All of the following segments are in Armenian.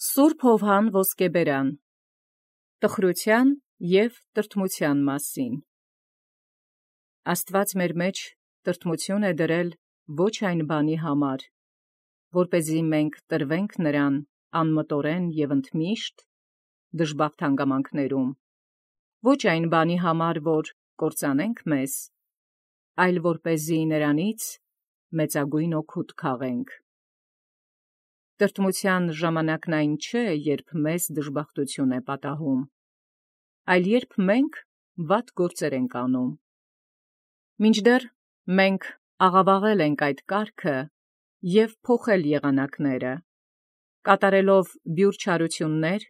Սուրբ Հովհան Ոսկեբերան տխրութեան և տրտմութեան մասին։ Աստուած մեր մեջ տրտմութիւն է դրել ոչ այն բանի համար, որպեսզի մենք տրվենք նրան անմտորեն և ընդմիշտ դժբախտ հանգամանքներում, ոչ այն բանի համար, որ կործանենք մեզ, այլ որպեսզի նրանից մեծագույն օգուտ քաղենք։ Տրտմութեան ժամանակն այն չէ, երբ մեզ դժբախտութիւն է պատահում, այլ երբ մենք վատ գործեր ենք անում։ Մինչդեռ մենք աղավաղել ենք այդ կարգը և փոխել եղանակները, կատարելով բյուր չարութիւններ,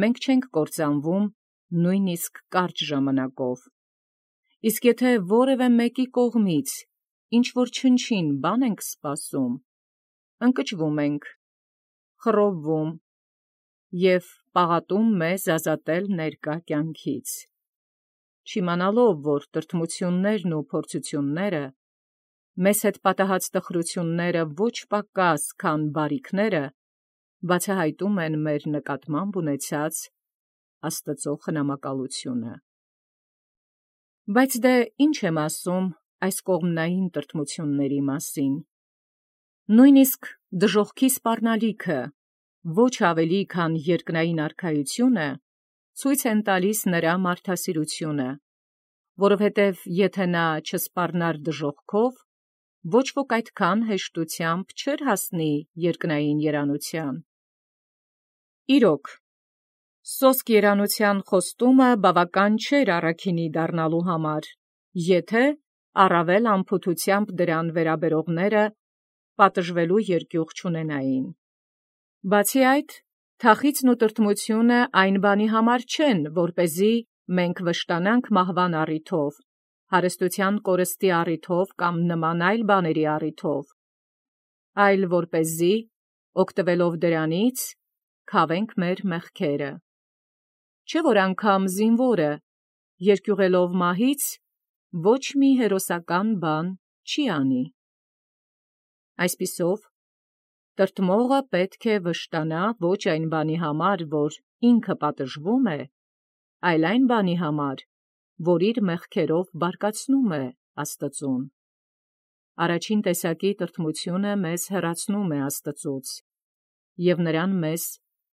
մենք չենք կործանվում նույնիսկ կարճ ժամանակով։ Իսկ եթե որևէ մեկի կողմից ինչ-որ չնչին բան ենք սպասում, ընկճվում ենք, խռովվում և պաղատում մեզ ազատել ներկա կյանքից, չիմանալով, որ տրտմութիւններն ու փորձութիւնները, մեզ հետ պատահած տխրութիւնները ոչ պակաս, քան բարիքները, բացահայտում են մեր նկատմամբ ունեցած Աստուծոյ խնամակալութիւնը։ Բայց ինչ եմ ասում այս կողմնային տրտմութիւնների մասին։ Նույնիսկ դժոխքի սպառնալիքը, ոչ ավելի քան երկնային արքայությունը, ցույց են տալիս նրա մարդասիրությունը, որովհետև եթե նա չսպառնար դժոխքով, ոչ ոք այդքան հեշտությամբ չէր հասնի երկնային երանութեան։ Իրոք, սոսկ երանութեան խոստումը բավական չէր առաքինի դառնալու համար, եթե առավել անփութությամբ դրան վերաբերողները պատժվելու երկյուղ չունենային։ Բացի այդ, թախիծն ու տրտմութիւնը այն բանի համար չեն, որպեսզի մենք վշտանանք մահվան առիթով, հարստութեան կորստի առիթով կամ նման այլ բաների առիթով, այլ որպեսզի, օգտվելով դրանից, քավենք մեր մեղքերը։ Չէ՞ որ անգամ զինվորը, երկյուղելով մահից, ոչ մի հերոսական բան չի անի։ Այսպիսով, տրտմողը պետք է վշտանա ոչ այն բանի համար, որ ինքը պատժվում է, այլ այն բանի համար, որ իր մեղքերով բարկացնում է Աստծուն։ Առաջին տեսակի տրտմութիւնը մեզ հեռացնում է Աստծուց և նրան մեզ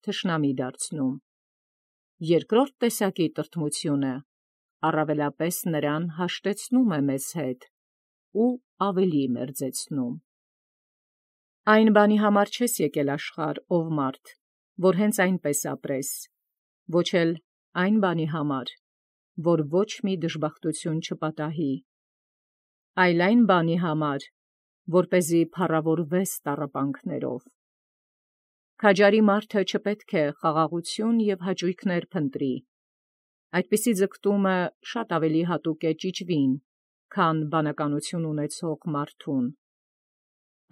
թշնամի դարձնում։ Երկրորդ տեսակի տրտմութիւնը առավելապես նրան հաշտեցնում է մեզ հետ ու ավելի մերձեցնում։ Այն բանի համար չես եկել աշխարհ, ով մարդ, որ հենց այնպես ապրես, ոչ էլ այն բանի համար, որ ոչ մի դժբախտութիւն չպատահի, այլ այն բանի համար, որպեսզի փառաւորվես տառապանքներով։ Քաջարի մարդը չպետք է խաղաղութիւն և հաճոյքներ փնտրի, այդպիսի ձգտումը շատ ավելի հատուկ է ճիճվին, քան բանականութիւն ունեցող մարդուն։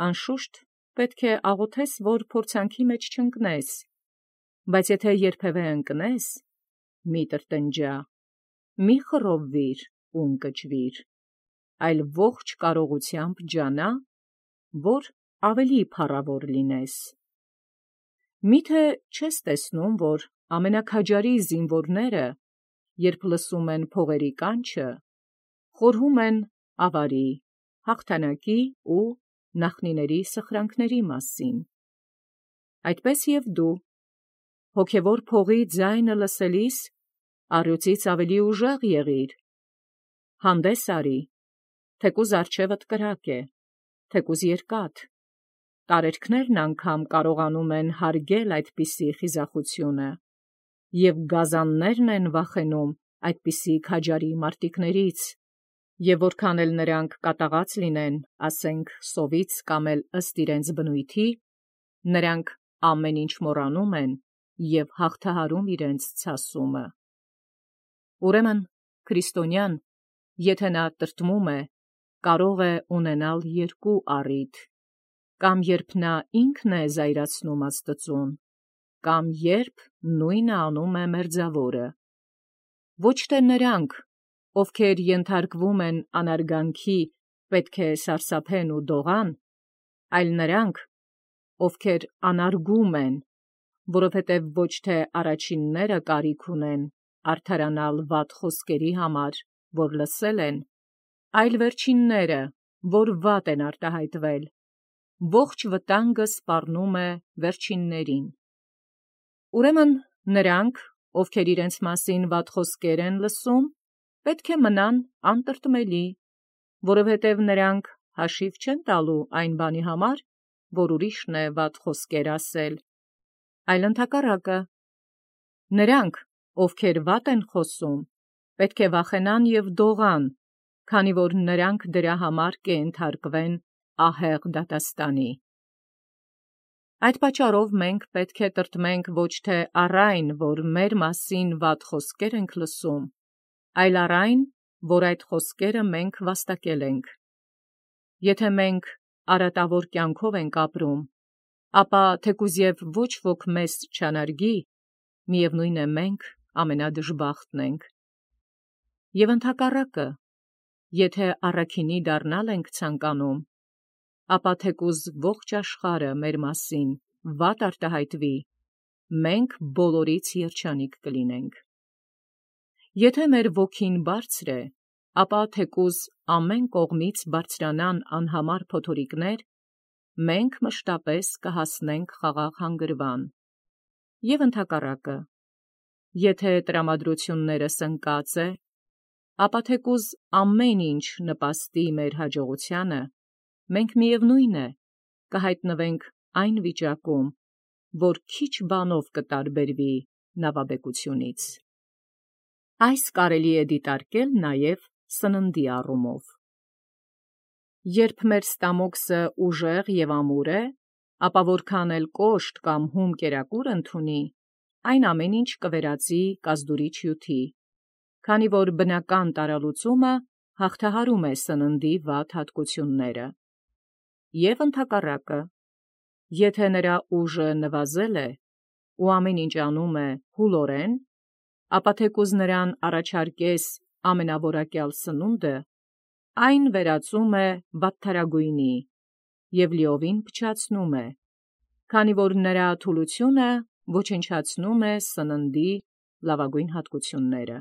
Անշուշտ, պետք է աղոթես, որ փորձանքի մեջ չընկնես, բայց եթե երբևէ ընկնես, մի տրտնջա, մի խռովվիր ու ընկճվիր, այլ ողջ կարողութեամբ ջանա, որ ավելի փառաւոր լինես։ Միթե չես տեսնում, որ ամենաքաջարի զինվորները, երբ լսում են փողերի կանչը, խորհում են ավարի, հաղթանակի ու նախնիների սխրանքների մասին։ Այդպես և դու, հոգևոր փողի ձայնը լսելիս, առյուծից ավելի ուժեղ եղիր, հանդես արի, թեկուզ առջևդ կրակ է, թեկուզ երկաթ, տարերքներն անգամ կարողանում են հարգել այդպիսի խիզախութիւնը, և գազաններն են վախենում այդպիսի քաջարի մարտիկներից, և որքան էլ նրանք կատաղած լինեն, ասենք սովից կամ էլ ըստ իրենց բնույթի, նրանք ամեն ինչ մոռանում են և հաղթահարում իրենց ցասումը։ Ուրեմն քրիստոնյան, եթե նա տրտմում է, կարող է ունենալ երկու առիթ. կամ երբ նա ինքն է զայրացնում Աստծուն, կամ երբ նույնը անում է մերձավորը։ Ոչ թե նրանք, ովքեր ենթարկվում են անարգանքի, պետք է սարսափեն ու դողան, այլ նրանք, ովքեր անարգում են, որովհետև ոչ թե առաջինները կարիք ունեն արդարանալ վատ խոսքերի համար, որ լսել են, այլ վերջինները, որ վատ են արտահայտվել, ողջ վտանգը սպառնում է վերջիններին։ Ուրեմն նրանք, ովքեր իրենց մասին վատ խոսքեր են լսում, պետք է մնան անտրտմելի, որովհետև նրանք հաշիվ չեն տալու այն բանի համար, որ ուրիշն է վատ խոսքեր ասել, այլ ընդհակառակը։ Նրանք, ովքեր վատ են խոսում, պետք է վախենան և դողան, քանի որ նրանք դրա համար կենթարկվեն ահեղ դատաստանի։ Այդ պատճառով մենք պետք է տրտմենք ոչ թե առ այն, որ մեր մասին վատ խոսքեր ենք լսում, այլ առ այն, որ այդ խոսքերը մենք վաստակել ենք։ Եթե մենք արատավոր կյանքով ենք ապրում, ապա թեկուզ և ոչ ոք մեզ չանարգի, միևնույն է մենք ամենադժբախտն ենք։ Եվ ընդհակառակը, եթե առաքինի դառնալ ենք ցանկանում, ապա թեկուզ ողջ աշխարհը մեր մասին վատ արտահայտվի, մենք բոլորից երջանիկ կլինենք։ Եթե մեր ոգին բարձր է, ապա թեկուզ ամեն կողմից բարձրանան անհամար փոթորիկներ, մենք մշտապես կհասնենք խաղաղ հանգրվան։ Եվ ընդհակառակը, եթե տրամադրություններս ընկած է, ապա թեկուզ ամեն ինչ նպաստի մեր հաջողությանը, մենք միևնույն է կհայտնվենք այն վիճակում, որ քիչ բանով կտարբերվի նավաբեկությունից։ Այս կարելի է դիտարկել նաև սննդի առումով։ Երբ մեր ստամոքսը ուժեղ և ամուր է, ապա որքան էլ կոշտ կամ հում կերակուր ընդունի, այն ամեն ինչ կվերածի կազդուրիչ հյութի, քանի որ բնական տարալուծումը հաղթահարում է սննդի վատ հատկությունները։ Եվ ընդհակառակը, եթե նրա ուժը նվազել է ու ամեն ինչ անում է հուլորեն, ապա թեկուզ նրան առաջարկես ամենաորակյալ սնունդը, այն վերածում է վատթարագույնի և լիովին փչացնում է, քանի որ նրա թուլությունը ոչնչացնում է սննդի լավագույն հատկությունները։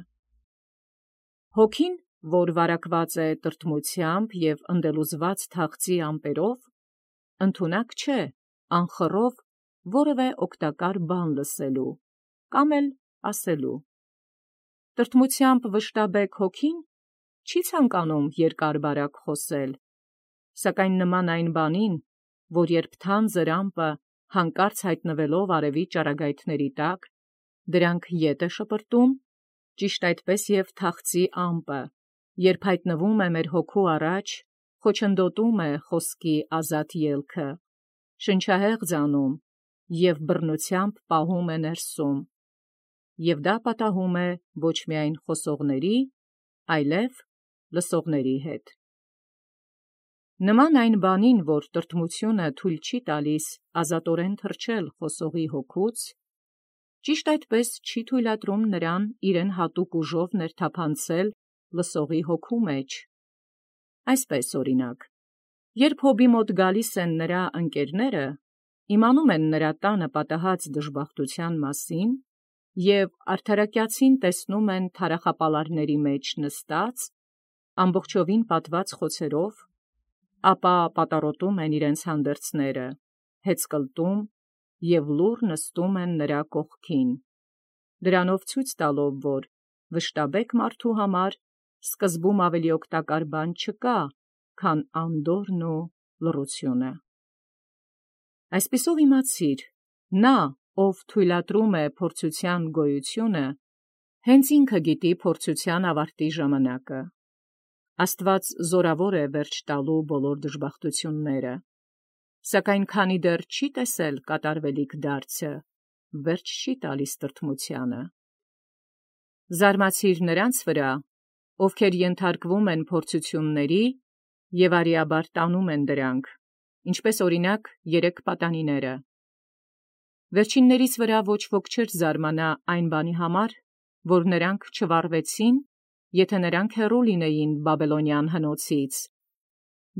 Հոգին, որ վարակված է տրտմությամբ և ընդելուզված թախծի ամպերով, ընդունակ չէ անխռով որևէ օգտակար բան լսելու կամ էլ ասելու։ Տրտմությամբ վշտաբեկ հոգին չի ցանկանում երկար-բարակ խոսել, սակայն նման այն բանին, որ երբ թանձր ամպը հանկարծ հայտնվելով արևի ճառագայթների տակ, դրանք ետ է շպրտում, ճիշտ այդպես և թախծի ամպը, երբ հայտնվում է մեր հոգու առաջ, խոչընդոտում է խոսքի ազատ ելքը, շնչահեղձ անում և բռնությամբ պահում է ներսում, և դա պատահում է ոչ միայն խոսողների, այլև լսողների հետ։ Նման այն բանին, որ տրտմությունը թույլ չի տալիս ազատորեն թռչել խոսողի հոգուց, ճիշտ այդպես չի թույլատրում նրան իրեն հատուկ ուժով ներթափանցել լսողի հոգու մեջ։ Այսպես օրինակ, երբ հոբի մոտ գալիս են նրա ընկերները, իմանում են նրա տանը պատահած դժբախտության մասին և արդարակյացին տեսնում են թարախապալարների մեջ նստած, ամբողջովին պատված խոցերով, ապա պատառոտում են իրենց հանդերձները, հեծկլտում և լուռ նստում են նրա կողքին, դրանով ցույց տալով, որ վշտաբեկ մարդու համար սկզբում ավելի օգտակար բան չկա, քան անդորրն ու լռությունը։ Այսպիսով իմացիր, նա, ով թույլատրում է փորձության գոյությունը, հենց ինքը գիտի փորձության ավարտի ժամանակը։ Աստված զորավոր է վերջ տալու բոլոր դժբախտությունները, սակայն քանի դեռ չի տեսել կատարվելիք դարձը, վերջ չի տալիս տրտմությանը։ Զարմացիր նրանց վրա, ովքեր ենթարկվում են փորձությունների և արիաբար տանում են դրանք, ինչպես օրինակ 3 պատանիները։ Վերջիններից վրա ոչ ոք չէր զարմանա այն բանի համար, որ նրանք չվառվեցին, եթե նրանք հեռու լինեին Բաբելոնյան հնոցից,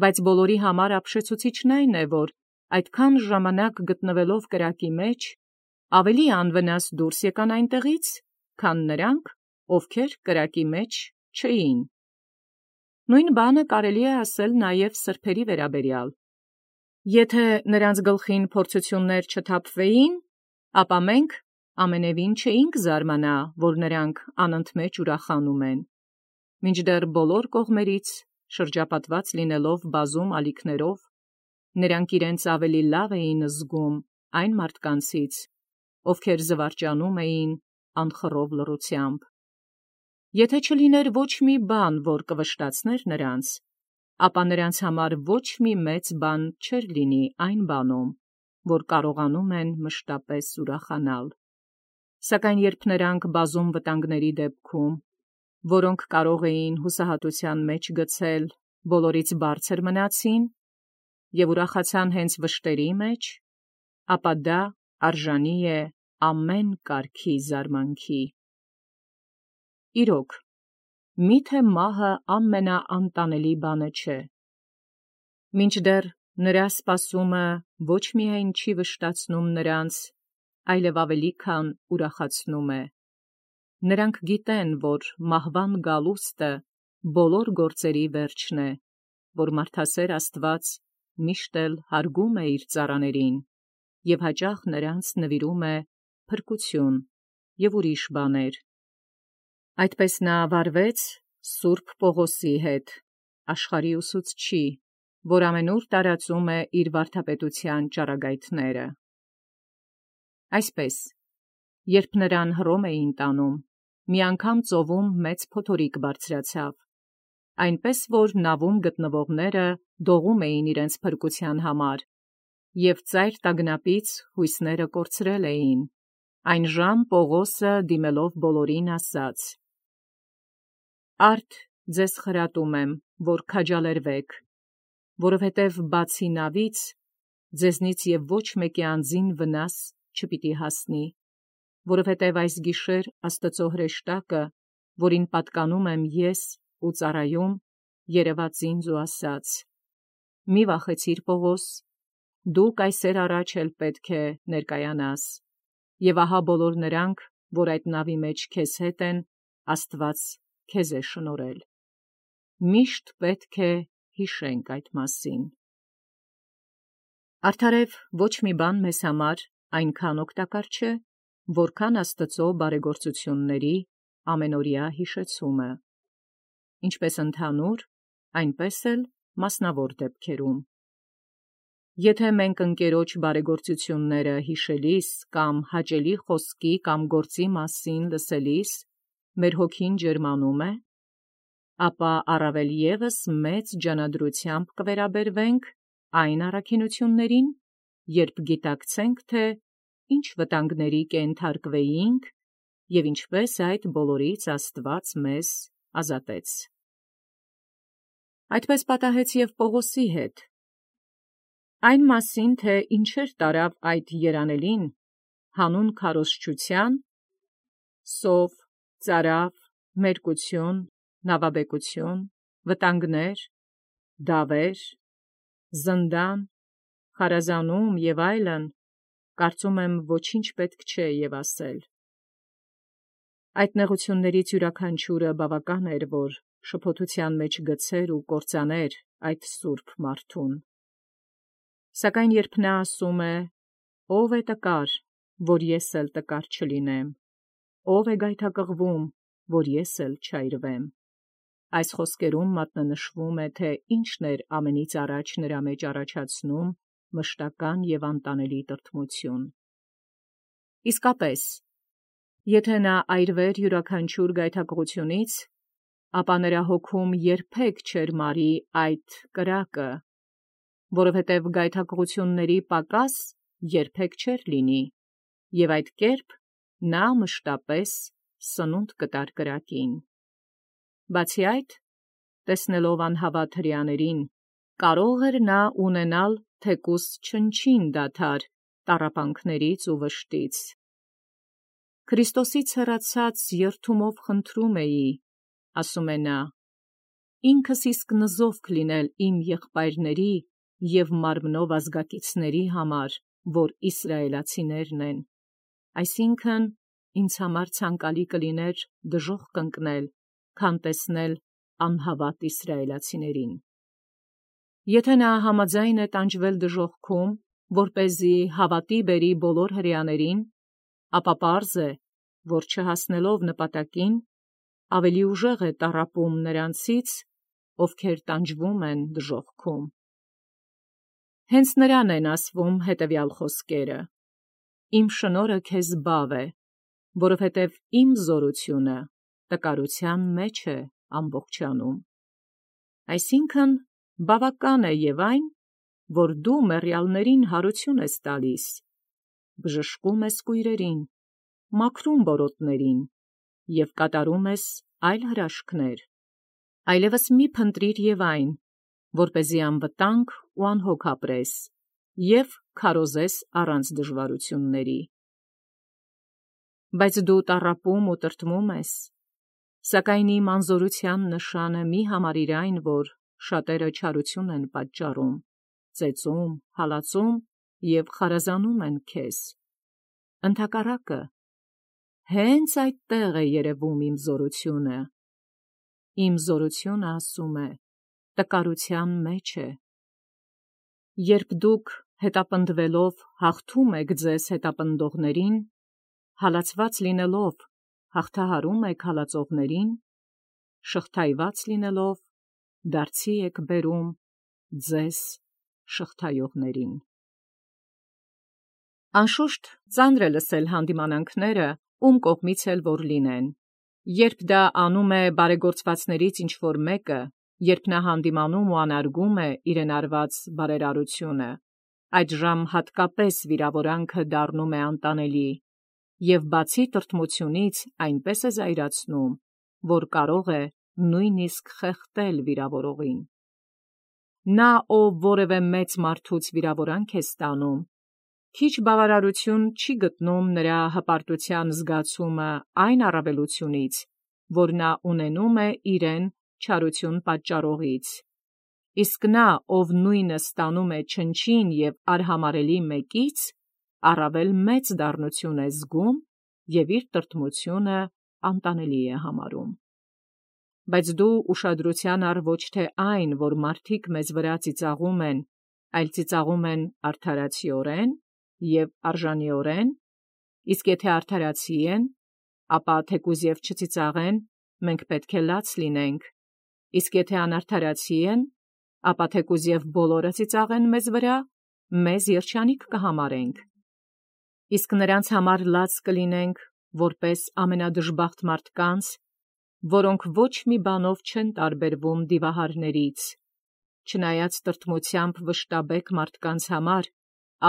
բայց բոլորի համար ապշեցուցիչն այն է, որ այդքան ժամանակ գտնվելով կրակի մեջ, Ավելի անվնաս դուրս եկան այնտեղից, քան նրանք, ովքեր կրակի մեջ չէին։ Նույն բանը կարելի է ասել նաև սրբերի վերաբերյալ։ Եթե նրանց գլխին փորձություններ չթափվեին, ապա մենք ամենևին չէինք զարմանա, որ նրանք անընդմեջ ուրախանում են։ Մինչդեռ բոլոր կողմերից շրջապատված լինելով բազում ալիքներով, նրանք իրենց ավելի լավ էին զգում այն մարդկանցից, ովքեր զվարճանում էին անխռով լռությամբ։ Եթե չլիներ ոչ մի բան, որ կվշտացներ նրանց, ապա նրանց համար ոչ մի մեծ բան չէր լինի այն բանում, որ կարողանում են մշտապես ուրախանալ։ Սակայն երբ նրանք բազում վտանգների դեպքում, որոնք կարող էին հուսահատության մեջ գցել, բոլորից բարձր մնացին և ուրախացան հենց վշտերի մեջ, ապա դա արժանի է ամեն կարգի զարմանքի։ Իրոք, միթե մահը ամենաանտանելի բանը չէ։ Մինչդեռ նրա սպասումը ոչ միայն չի վշտացնում նրանց, այլև ավելի քան ուրախացնում է։ Նրանք գիտեն, որ մահվան գալուստը բոլոր գործերի վերջն է, որ մարդասեր Աստված միշտ էլ հարգում է իր ծառաներին և հաճախ նրանց նվիրում է փրկություն և ուրիշ բաներ։ Այդպես նա վարվեց Սուրբ Պողոսի հետ, աշխարհի ուսուցչի, որ ամենուր տարածում է իր վարդապետության ճառագայթները։ Այսպես, երբ նրան Հռոմ էին տանում, մի անգամ ծովում մեծ փոթորիկ բարձրացավ, այնպես որ նավում գտնվողները դողում էին իրենց փրկության համար, և ծայր տագնապից հույսները կորցրել էին։ Այն ժամ Պողոսը դիմելով բոլորին ասաց. «Արդ ձեզ խրատում եմ, որ քաջալերվեք, որովհետև բացի նավից ձեզնից և ոչ մեկի անձին վնաս չպիտի հասնի, որովհետև այս գիշեր Աստծո հրեշտակը, որին պատկանում եմ ես ու ծառայում, երևաց ինձ ու ասաց. «Մի վախեցիր, Պողոս, դու կայսեր առաջ էլ պետք է ներկայանաս, և ահա բոլոր նրանք, որ այդ նավի մեջ քեզ հետ են, Աստված քեզ է շնորհել»։ Միշտ պետք է հիշենք այդ մասին։ Արդարև ոչ մի բան մեզ համար այնքան օգտակար չէ, որքան Աստծո բարեգործությունների ամենօրյա հիշեցումը, ինչպես ընդհանուր, այնպես էլ մասնավոր դեպքերում։ Եթե մենք ընկերոջ բարեգործությունները հիշելիս կամ հաճելի խոսքի կամ գործի մասին լսելիս մեր հոգին ջերմանում է, ապա առավել ևս մեծ ջանադրությամբ կվերաբերվենք այն առաքինություններին, երբ գիտակցենք, թե ինչ վտանգների կենթարկվեինք և ինչպես այդ բոլորից Աստված մեզ ազատեց։ Այդպես պատահեց և Պողոսի հետ։ Այն մասին, թե ինչեր տարավ այդ երանելին, հանուն քարոզչության, սով, ծարավ, մերկություն, նավաբեկություն, վտանգներ, դավեր, զնդան, խարազանում և այլն, կարծում եմ ոչինչ պետք չէ և ասել։ Այդ նեղություններից յուրաքանչյուրը բավական էր, որ շփոթության մեջ գցեր ու կործաներ այդ սուրբ մարդուն։ Սակայն երբ նա ասում է. «Ո՞վ է տկար, որ ես էլ տկար չլինեմ, ո՞վ է գայթակղվում, որ ես էլ չայրվեմ», այս խոսքերում մատնանշվում է, թե ինչն էր ամենից առաջ նրա մեջ առաջացնում մշտական և անտանելի տրտմություն։ Իսկապես, եթե նա այրվեր յուրաքանչյուր գայթակղությունից, ապա նրա հոգում երբեք չէր մարի այդ կրակը, որովհետև գայթակղությունների պակաս երբեք չէր լինի, և այդ կերպ նա մշտապես սնունդ կտար կրակին։ Բացի այդ, տեսնելով անհավատ հրեաներին, կարող էր նա ունենալ թեկուզ չնչին դադար տառապանքներից ու վշտից։ «Քրիստոսից հեռացած երդումով խնդրում էի, — ասում է նա, — ինքս իսկ նզովք լինել իմ եղբայրների և մարմնով ազգակիցների համար, որ իսրայելացիներն են, այսինքն ինձ համար ցանկալի կլիներ դժոխք կընկնել, քան տեսնել անհավատ իսրայելացիներին։ Եթե նա համաձայն է տանջվել դժոխքում, որպեսզի հավատի բերի բոլոր հրեաներին, ապա պարզ է, որ չհասնելով նպատակին, ավելի ուժեղ է տառապում նրանցից, ովքեր տանջվում են դժոխքում։ Հենց նրան են ասվում հետևյալ խոսքերը. «Իմ շնորհը քեզ բավ է, որովհետև իմ զորությունը տկարության մեջ է ամբողջանում»։ Այսինքն բավական է և այն, որ դու մեռյալներին հարություն ես տալիս, բժշկում ես կույրերին, մաքրում բորոտներին և կատարում ես այլ հրաշքներ, այլևս մի փնտրիր և այն, որպեսզի անվտանգ ու անհոգ ապրես և քարոզես առանց դժվարությունների։ Բայց դու տառապում ու տրտմում ես, սակայն իմ անզորության նշանը մի համարիր այն, որ շատերը չարություն են պատճառում, ծեծում, հալածում և խարազանում են քեզ։ Ընդհակառակը, հենց այդտեղ է երևում իմ զորությունը։ Իմ զորությունը, ասում է, տկարության մեջ է։ Երբ դուք հետապնդվելով հաղթում եք ձեզ հետապնդողներին, հալածված լինելով հաղթահարում եք հալածողներին, շղթայված լինելով դարձի եք բերում ձեզ շղթայողներին։ Անշուշտ ծանր է լսել հանդիմանանքները, ում կողմից էլ որ լինեն, երբ դա անում է բարեգործվածներից ինչ-որ մեկը, երբ նա հանդիմանում ու անարգում է իրեն արված բարերարությունը, այդժամ հատկապես վիրավորանքը դառնում է անտանելի, և բացի տրտմությունից այնպես է զայրացնում, որ կարող է նույնիսկ խեղդել վիրավորողին։ Նա, ով որևէ մեծ մարդուց վիրավորանք է ստանում, քիչ բավարարություն չի գտնում նրա հպարտության զգացումը այն առավելությունից, որ նա ունենում է իրեն չարություն պատճառողից, իսկ նա, ով նույնը ստանում է չնչին և արհամարհելի մեկից, առավել մեծ դառնություն է զգում և իր տրտմությունը անտանելի է համարում։ Բայց դու ուշադրության առ ոչ թե այն, որ մարդիկ մեզ վրա ծիծաղում են, այլ ծիծաղում են արդարացիորեն և արժանիորեն, իսկ եթե արդարացի են, ապա թեկուզ և չծիծաղեն, մենք պետք է լաց լինենք, իսկ եթե անարդարացի են, ապա թեկուզ և բոլորը ծիծաղեն մեզ վրա, մեզ երջանիկ կհամարենք։ Իսկ նրանց համար լաց կլինենք, որպես ամենադժբախտ մարդկանց, որոնք ոչ մի բանով չեն տարբերվում դիվահարներից, չնայած տրտմությամբ վշտաբեկ մարդկանց համար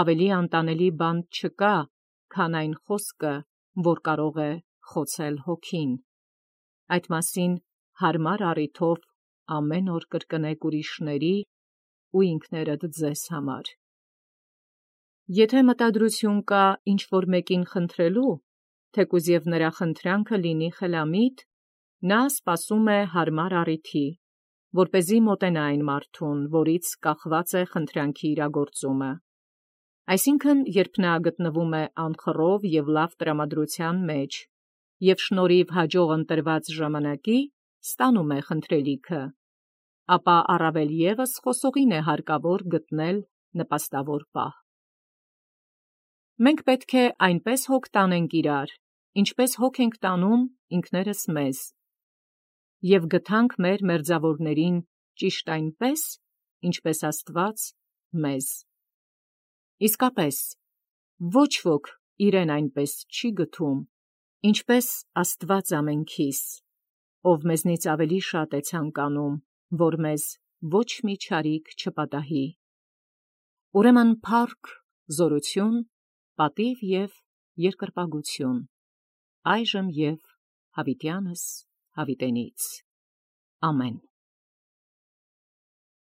ավելի անտանելի բան չկա, քան այն խոսքը, որ կարող է խոցել հոգին։ Այդ մասին հարմար առիթով ամեն օր կրկնեք ուրիշների ու ինքներդ ձեզ համար։ Եթե մտադրություն կա ինչ-որ մեկին խնդրելու, թեկուզ և նրա խնդրանքը լինի խելամիտ, նա սպասում է հարմար առիթի, որպեսզի մոտենա այն մարդուն, որից կախված է խնդրանքի իրագործումը։ Այսինքն, երբ նա գտնվում է անխռով և լավ տրամադրության մեջ և շնորհիվ հաջող ընտրված ժամանակի ստանում է խնդրելիքը, ապա առավել ևս խոսողին է հարկավոր գտնել նպաստավոր պահ։ Մենք պետք է այնպես հոգ տանենք իրար, ինչպես հոգ ենք տանում ինքներս մեզ, և գթանք մեր մերձավորներին ճիշտ այնպես, ինչպես Աստված մեզ։ Իսկապես, ոչ ոք իրեն այնպես չի գթում, ինչպես Աստված ամենքիս, ով մեզնից ավելի շատ է ցանկանում, որ մեզ ոչ մի չարիք չպատահի։ Ուրեմն փառք, զորություն, պատիվ և երկրպագություն այժմ և հավիտյանս հավիտենից։ Ամեն։